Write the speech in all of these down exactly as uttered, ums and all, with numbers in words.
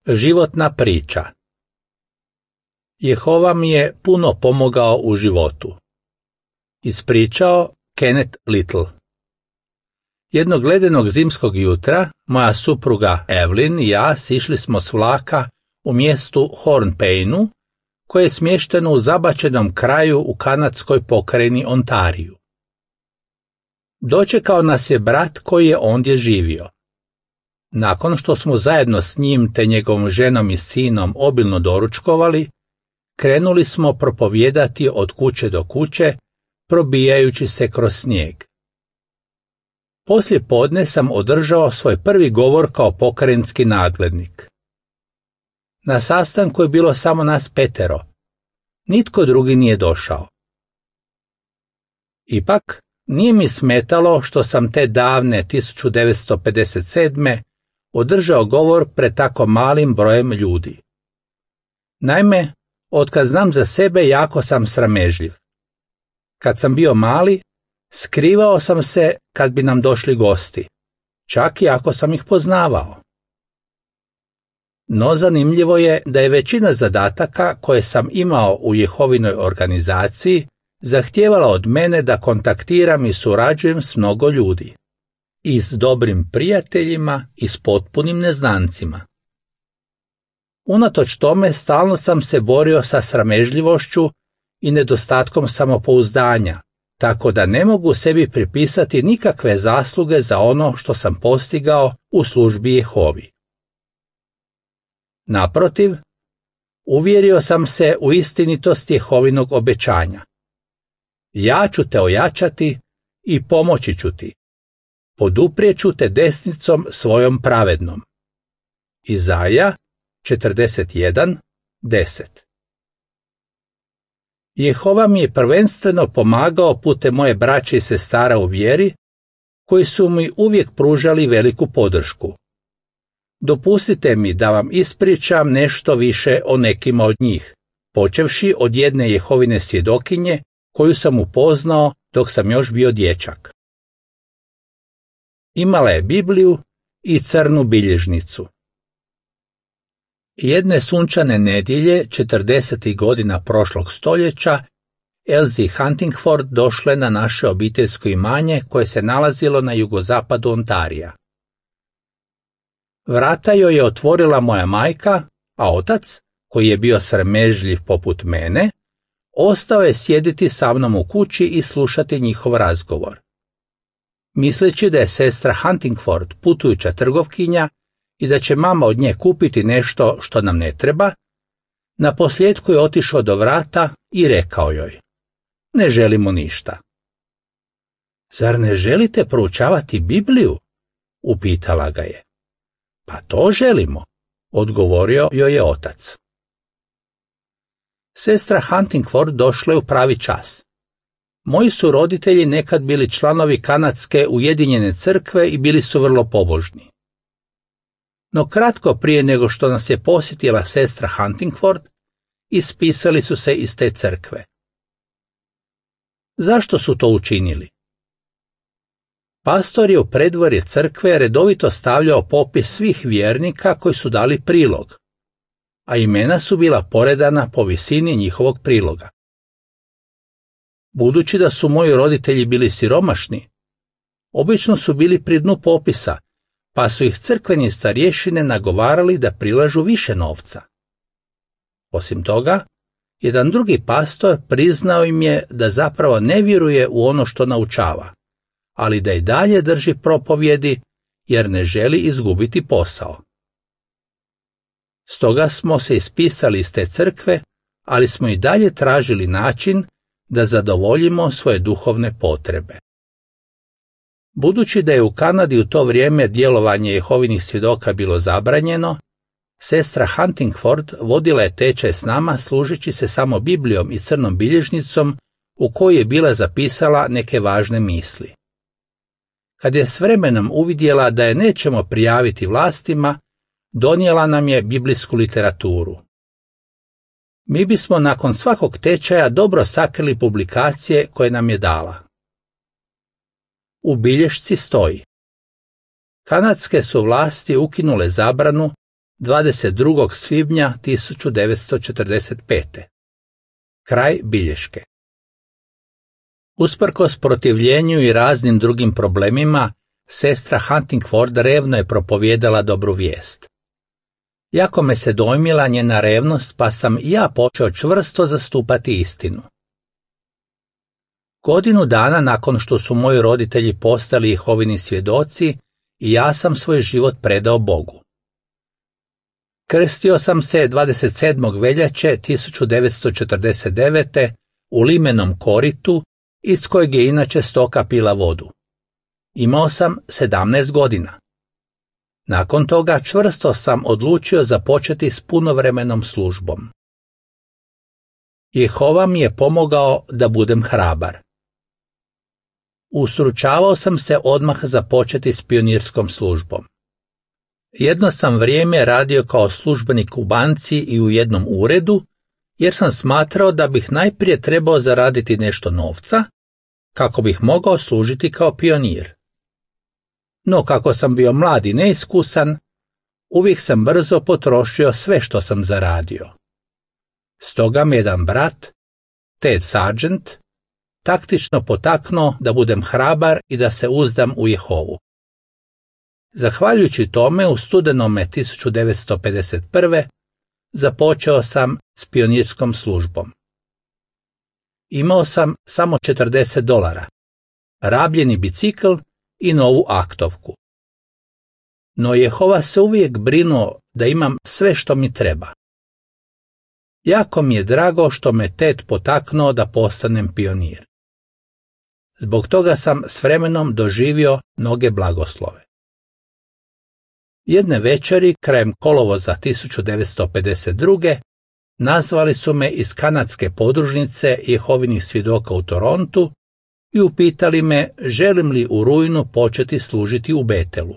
Životna priča. Jehova mi je puno pomogao u životu. Ispričao Kenneth Little. Jednog ledenog zimskog jutra moja supruga Evelyn i ja sišli smo s vlaka u mjestu Hornpainu, koje je smješteno u zabačenom kraju u kanadskoj pokrajini Ontariju. Dočekao nas je brat koji je ondje živio. Nakon što smo zajedno s njim te njegovom ženom i sinom obilno doručkovali, krenuli smo propovijedati od kuće do kuće, probijajući se kroz snijeg. Poslije podne sam održao svoj prvi govor kao pokrajinski nadglednik. Na sastanku je bilo samo nas petero. Nitko drugi nije došao. Ipak, nije mi smetalo što sam te davne tisuću devetsto pedeset sedme. održao govor pred tako malim brojem ljudi. Naime, otkad znam za sebe, jako sam sramežljiv. Kad sam bio mali, skrivao sam se kad bi nam došli gosti, čak i ako sam ih poznavao. No zanimljivo je da je većina zadataka koje sam imao u Jehovinoj organizaciji zahtijevala od mene da kontaktiram i surađujem s mnogo ljudi. I s dobrim prijateljima i s potpunim neznancima. Unatoč tome stalno sam se borio sa sramežljivošću i nedostatkom samopouzdanja, tako da ne mogu sebi pripisati nikakve zasluge za ono što sam postigao u službi Jehovi. Naprotiv, uvjerio sam se u istinitost Jehovinog obećanja. Ja ću te ojačati i pomoći ću ti. Poduprijeću te desnicom svojom pravednom. Izaja četrdeset jedan, deset. Jehova mi je prvenstveno pomagao putem moje braće i sestara u vjeri, koji su mi uvijek pružali veliku podršku. Dopustite mi da vam ispričam nešto više o nekima od njih, počevši od jedne Jehovine svjedokinje koju sam upoznao dok sam još bio dječak. Imala je Bibliju i crnu bilježnicu. Jedne sunčane nedjelje, četrdesetih godina prošlog stoljeća, Elsie Huntingford došla je na naše obiteljsko imanje koje se nalazilo na jugozapadu Ontarija. Vrata joj je otvorila moja majka, a otac, koji je bio sramežljiv poput mene, ostao je sjediti sa mnom u kući i slušati njihov razgovor. Misleći da je sestra Huntingford putujuća trgovkinja i da će mama od nje kupiti nešto što nam ne treba, naposljetku je otišao do vrata i rekao joj: ne želimo ništa. Zar ne želite proučavati Bibliju? Upitala ga je. Pa to želimo, odgovorio joj je otac. Sestra Huntingford došla je u pravi čas. Moji su roditelji nekad bili članovi kanadske ujedinjene crkve i bili su vrlo pobožni. No kratko prije nego što nas je posjetila sestra Huntingford, ispisali su se iz te crkve. Zašto su to učinili? Pastor je u predvorje crkve redovito stavljao popis svih vjernika koji su dali prilog, a imena su bila poredana po visini njihovog priloga. Budući da su moji roditelji bili siromašni, obično su bili pri dnu popisa, pa su ih crkveni starješine nagovarali da prilažu više novca. Osim toga, jedan drugi pastor priznao im je da zapravo ne vjeruje u ono što naučava, ali da i dalje drži propovjedi jer ne želi izgubiti posao. Stoga smo se ispisali iz te crkve, ali smo i dalje tražili način da zadovoljimo svoje duhovne potrebe. Budući da je u Kanadi u to vrijeme djelovanje Jehovinih svjedoka bilo zabranjeno, sestra Huntingford vodila je tečaj s nama služeći se samo Biblijom i crnom bilježnicom u kojoj je bila zapisala neke važne misli. Kad je s vremenom uvidjela da je nećemo prijaviti vlastima, donijela nam je biblijsku literaturu. Mi bismo nakon svakog tečaja dobro sakrili publikacije koje nam je dala. U bilješci stoji: kanadske su vlasti ukinule zabranu dvadeset drugog svibnja tisuću devetsto četrdeset pete. Kraj bilješke. Usprkos protivljenju i raznim drugim problemima, sestra Huntingford revno je propovijedala dobru vijest. Jako me se dojmila njena revnost, pa sam i ja počeo čvrsto zastupati istinu. Godinu dana nakon što su moji roditelji postali Jehovini svjedoci, i ja sam svoj život predao Bogu. Krstio sam se dvadeset sedmog veljače tisuću devetsto četrdeset devete u limenom koritu, iz kojeg je inače stoka pila vodu. Imao sam sedamnaest godina. Nakon toga čvrsto sam odlučio započeti s punovremenom službom. Jehova mi je pomogao da budem hrabar. Ustručavao sam se odmah započeti s pionirskom službom. Jedno sam vrijeme radio kao službenik u banci i u jednom uredu, jer sam smatrao da bih najprije trebao zaraditi nešto novca, kako bih mogao služiti kao pionir. No kako sam bio mlad i neiskusan, uvijek sam brzo potrošio sve što sam zaradio. Stoga me jedan brat, Ted Sargent, taktično potaknuo da budem hrabar i da se uzdam u Jehovu. Zahvaljujući tome, u studenome tisuću devetsto pedeset prve započeo sam s pionirskom službom. Imao sam samo četrdeset dolara, rabljeni bicikl i novu aktovku. No Jehova se uvijek brinuo da imam sve što mi treba. Jako mi je drago što me Ted potaknuo da postanem pionir. Zbog toga sam s vremenom doživio mnoge blagoslove. Jedne večeri, krajem kolovoza tisuću devetsto pedeset druge nazvali su me iz kanadske podružnice Jehovinih svjedoka u Torontu i upitali me želim li u rujnu početi služiti u Betelu.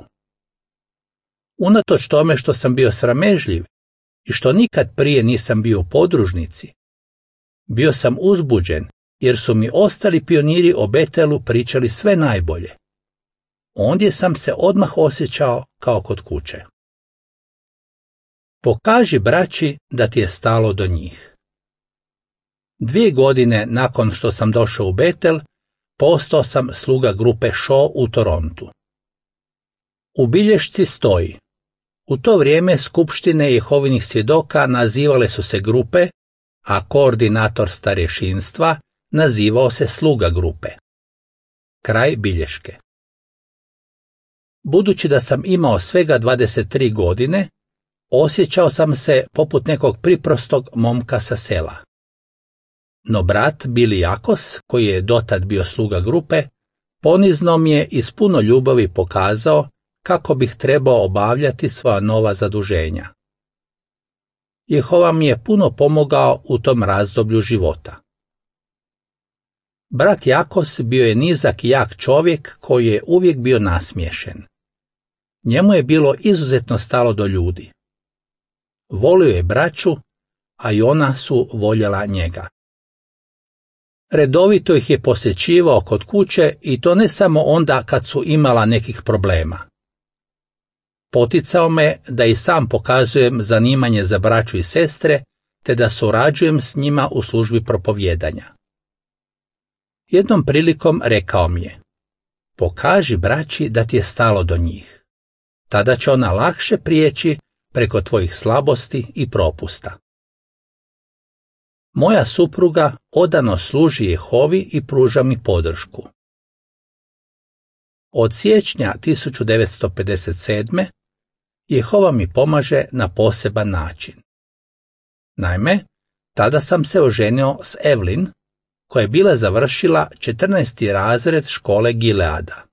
Unatoč tome što sam bio sramežljiv i što nikad prije nisam bio u podružnici, bio sam uzbuđen jer su mi ostali pioniri o Betelu pričali sve najbolje. Ondje sam se odmah osjećao kao kod kuće. Pokaži braći da ti je stalo do njih. Dvije godine nakon što sam došao u Betel, postao sam sluga grupe Shaw u Torontu. U bilješci stoji: u to vrijeme skupštine Jehovinih svjedoka nazivale su se grupe, a koordinator starješinstva nazivao se sluga grupe. Kraj bilješke. Budući da sam imao svega dvadeset tri godine, osjećao sam se poput nekog priprostog momka sa sela. No brat Billy Jakos, koji je dotad bio sluga grupe, ponizno mi je iz puno ljubavi pokazao kako bih trebao obavljati svoja nova zaduženja. Jehova mi je puno pomogao u tom razdoblju života. Brat Jakos bio je nizak i jak čovjek koji je uvijek bio nasmiješen. Njemu je bilo izuzetno stalo do ljudi. Volio je braću, a i ona su voljela njega. Redovito ih je posjećivao kod kuće i to ne samo onda kad su imala nekih problema. Poticao me da i sam pokazujem zanimanje za braću i sestre, te da surađujem s njima u službi propovijedanja. Jednom prilikom rekao mi je: pokaži braći da ti je stalo do njih. Tada će ona lakše prijeći preko tvojih slabosti i propusta. Moja supruga odano služi Jehovi i pruža mi podršku. Od siječnja tisuću devetsto pedeset sedme Jehova mi pomaže na poseban način. Naime, tada sam se oženio s Evelyn, koja je bila završila četrnaesti razred škole Gileada.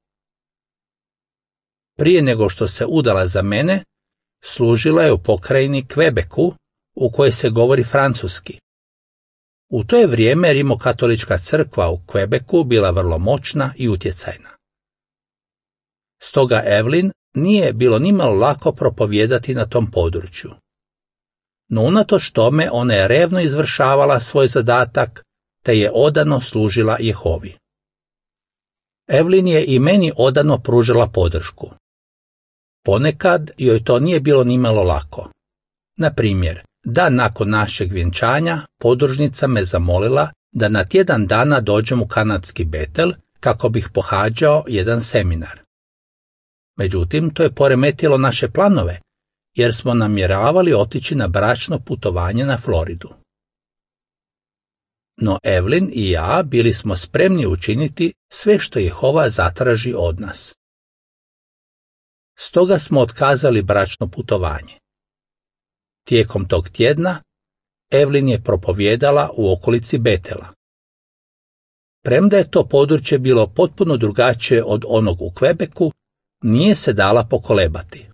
Prije nego što se udala za mene, služila je u pokrajini Quebecu, u kojoj se govori francuski. U to je vrijeme rimokatolička crkva u Quebecu bila vrlo moćna i utjecajna. Stoga Evelyn nije bilo nimalo lako propovijedati na tom području. No unatoč tome ona je revno izvršavala svoj zadatak, te je odano služila Jehovi. Evelyn je i meni odano pružila podršku. Ponekad joj to nije bilo nimalo lako. Na primjer, dan nakon našeg vjenčanja podružnica me zamolila da na tjedan dana dođem u kanadski Betel kako bih pohađao jedan seminar. Međutim, to je poremetilo naše planove, jer smo namjeravali otići na bračno putovanje na Floridu. No Evelyn i ja bili smo spremni učiniti sve što Jehova zatraži od nas. Stoga smo otkazali bračno putovanje. Tijekom tog tjedna Evelyn je propovijedala u okolici Betela. Premda je to područje bilo potpuno drugačije od onog u Quebecu, nije se dala pokolebati.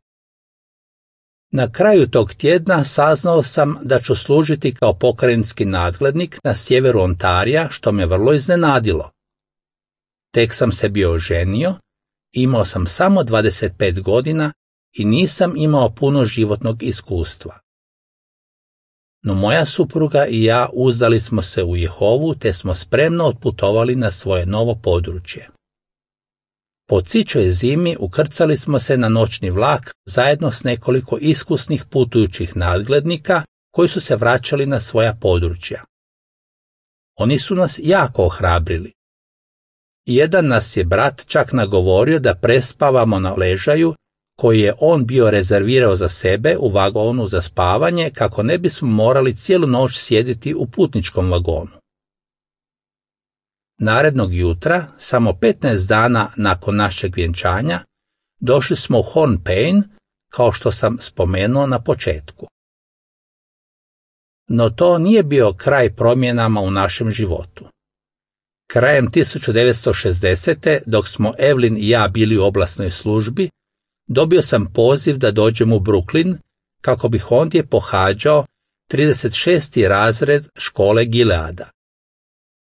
Na kraju tog tjedna saznao sam da ću služiti kao pokrajinski nadglednik na sjeveru Ontarija, što me vrlo iznenadilo. Tek sam se bio oženio, imao sam samo dvadeset pet godina i nisam imao puno životnog iskustva. No moja supruga i ja uzdali smo se u Jehovu te smo spremno otputovali na svoje novo područje. Po cičoj zimi ukrcali smo se na noćni vlak zajedno s nekoliko iskusnih putujućih nadglednika koji su se vraćali na svoja područja. Oni su nas jako ohrabrili. Jedan nas je brat čak nagovorio da prespavamo na ležaju koji je on bio rezervirao za sebe u vagonu za spavanje kako ne bismo morali cijelu noć sjediti u putničkom vagonu. Narednog jutra, samo petnaest dana nakon našeg vjenčanja, došli smo u Hornpain, kao što sam spomenuo na početku. No to nije bio kraj promjenama u našem životu. Krajem tisuću devetsto šezdesete. dok smo Evelyn i ja bili u oblasnoj službi, dobio sam poziv da dođem u Brooklyn kako bih ondje pohađao trideset šesti razred škole Gileada.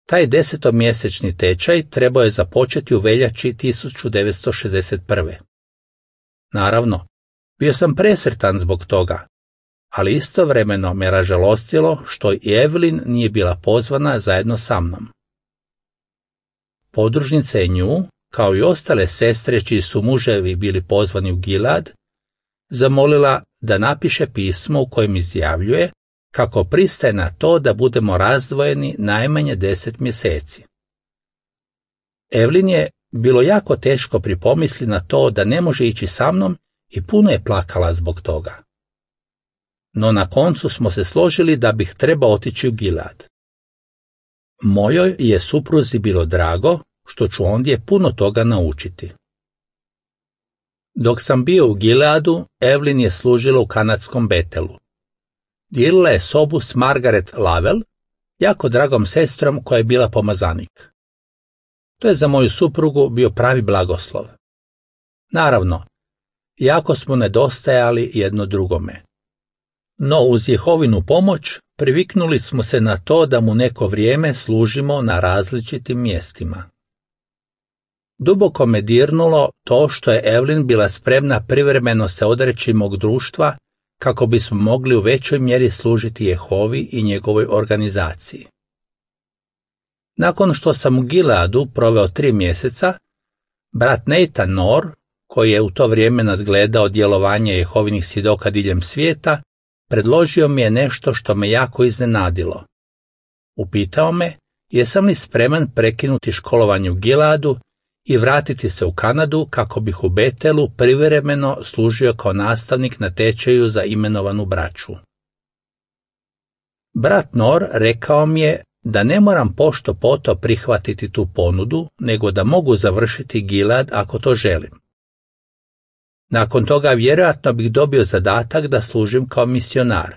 Taj desetomjesečni tečaj trebao je započeti u veljači tisuću devetsto šezdeset prve. Naravno, bio sam presretan zbog toga, ali istovremeno me ražalostilo što i Evelyn nije bila pozvana zajedno sa mnom. Podružnica je nju, kao i ostale sestre čiji su muževi bili pozvani u Gilead, zamolila da napiše pismo u kojem izjavljuje kako pristaje na to da budemo razdvojeni najmanje deset mjeseci. Evelyn je bilo jako teško pripomisli na to da ne može ići sa mnom i puno je plakala zbog toga. No na koncu smo se složili da bih trebao otići u Gilead. Mojoj je supruzi bilo drago što ću ondje puno toga naučiti. Dok sam bio u Gileadu, Evelyn je služila u kanadskom Betelu. Dijelila je sobu s Margaret Lavell, jako dragom sestrom koja je bila pomazanik. To je za moju suprugu bio pravi blagoslov. Naravno, jako smo nedostajali jedno drugome. No uz Jehovinu pomoć priviknuli smo se na to da mu neko vrijeme služimo na različitim mjestima. Duboko me dirnulo to što je Evelyn bila spremna privremeno se odreći mog društva kako bismo mogli u većoj mjeri služiti Jehovi i njegovoj organizaciji. Nakon što sam u Gileadu proveo tri mjeseca, brat Nathan Nor, koji je u to vrijeme nadgledao djelovanje Jehovinih svjedoka diljem svijeta, predložio mi je nešto što me jako iznenadilo. Upitao me jesam li spreman prekinuti školovanje u Gileadu i vratiti se u Kanadu kako bih u Betelu privremeno služio kao nastavnik na tečaju za imenovanu braću. Brat Nor rekao mi je da ne moram pošto poto prihvatiti tu ponudu, nego da mogu završiti Gilead ako to želim. Nakon toga vjerojatno bih dobio zadatak da služim kao misionar.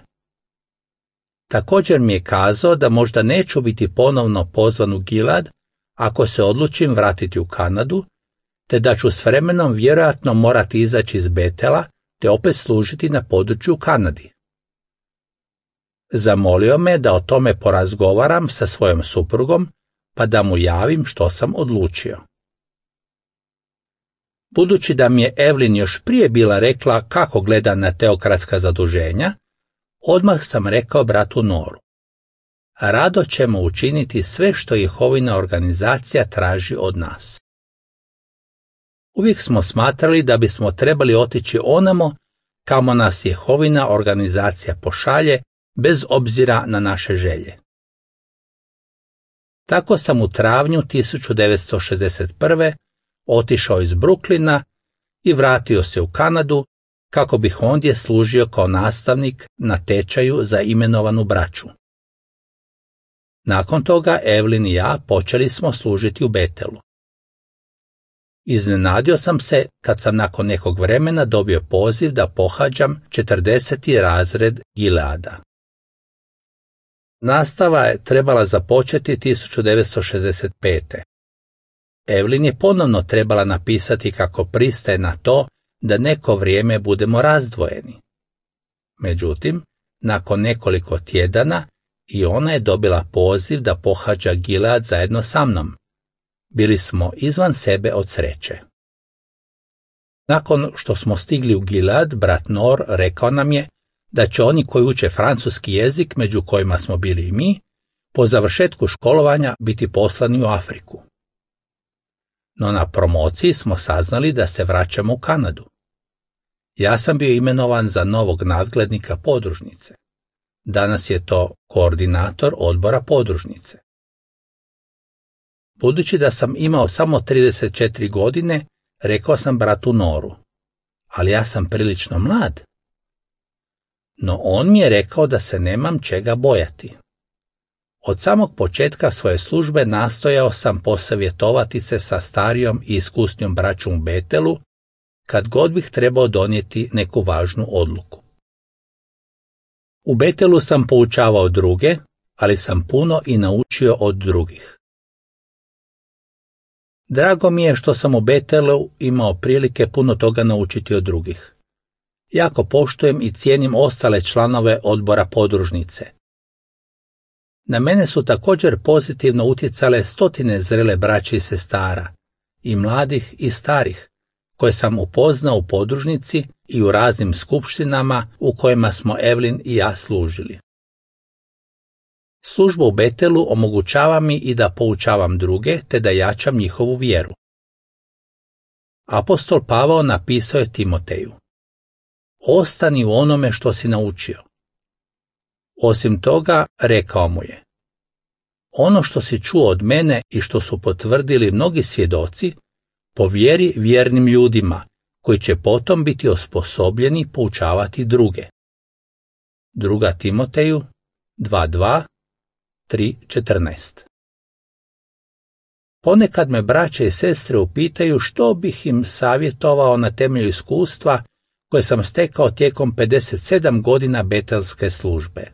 Također mi je kazao da možda neću biti ponovno pozvan u Gilead ako se odlučim vratiti u Kanadu, te da ću s vremenom vjerojatno morati izaći iz Betela te opet služiti na području u Kanadi. Zamolio me da o tome porazgovaram sa svojom suprugom, pa da mu javim što sam odlučio. Budući da mi je Evelyn još prije bila rekla kako gleda na teokratska zaduženja, odmah sam rekao bratu Noru: rado ćemo učiniti sve što Jehovina organizacija traži od nas. Uvijek smo smatrali da bismo trebali otići onamo kamo nas Jehovina organizacija pošalje bez obzira na naše želje. Tako sam u travnju tisuću devetsto šezdeset prve otišao iz Brooklyna i vratio se u Kanadu kako bih ondje služio kao nastavnik na tečaju za imenovanu braću. Nakon toga Evelyn i ja počeli smo služiti u Bethelu. Iznenadio sam se kad sam nakon nekog vremena dobio poziv da pohađam četrdeseti razred Gileada. Nastava je trebala započeti tisuću devetsto šezdeset pete. Evelyn je ponovno trebala napisati kako pristaje na to da neko vrijeme budemo razdvojeni. Međutim, nakon nekoliko tjedana i ona je dobila poziv da pohađa Gilead zajedno sa mnom. Bili smo izvan sebe od sreće. Nakon što smo stigli u Gilead, brat Nor rekao nam je da će oni koji uče francuski jezik, među kojima smo bili i mi, po završetku školovanja biti poslani u Afriku. No na promociji smo saznali da se vraćamo u Kanadu. Ja sam bio imenovan za novog nadglednika podružnice. Danas je to koordinator odbora podružnice. Budući da sam imao samo trideset četiri godine, rekao sam bratu Noru, ali ja sam prilično mlad. No on mi je rekao da se nemam čega bojati. Od samog početka svoje službe nastojao sam posavjetovati se sa starijom i iskusnijom braćom u Bethelu, kad god bih trebao donijeti neku važnu odluku. U Bethelu sam poučavao druge, ali sam puno i naučio od drugih. Drago mi je što sam u Bethelu imao prilike puno toga naučiti od drugih. Jako poštujem i cijenim ostale članove odbora podružnice. Na mene su također pozitivno utjecale stotine zrele braće i sestara, i mladih i starih, koje sam upoznao u podružnici i u raznim skupštinama u kojima smo Evelyn i ja služili. Služba u Bethelu omogućava mi i da poučavam druge, te da jačam njihovu vjeru. Apostol Pavao napisao je Timoteju: ostani u onome što si naučio. Osim toga, rekao mu je: ono što si čuo od mene i što su potvrdili mnogi svjedoci, povjeri vjernim ljudima, koji će potom biti osposobljeni poučavati druge. Druga Timoteju dva dva, tri četrnaest. Ponekad me braće i sestre upitaju što bih im savjetovao na temelju iskustva koje sam stekao tijekom pedeset sedam godina betelske službe.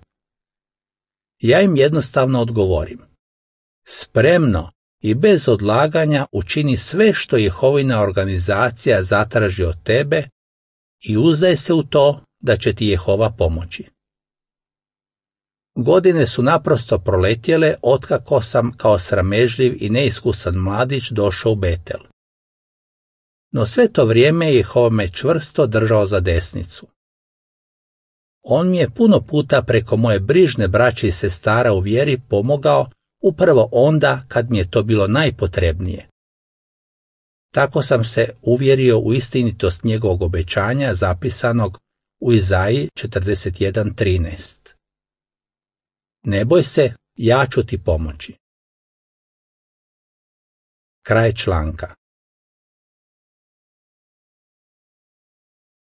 Ja im jednostavno odgovorim: spremno i bez odlaganja učini sve što Jehovina organizacija zatraži od tebe i uzdaj se u to da će ti Jehova pomoći. Godine su naprosto proletjele otkako sam kao sramežljiv i neiskusan mladić došao u Betel. No sve to vrijeme Jehova me čvrsto držao za desnicu. On mi je puno puta preko moje brižne braće i sestara u vjeri pomogao upravo onda kad mi je to bilo najpotrebnije. Tako sam se uvjerio u istinitost njegovog obećanja zapisanog u Izaiji četrdeset jedan trinaest. Ne boj se, ja ću ti pomoći. Kraj članka.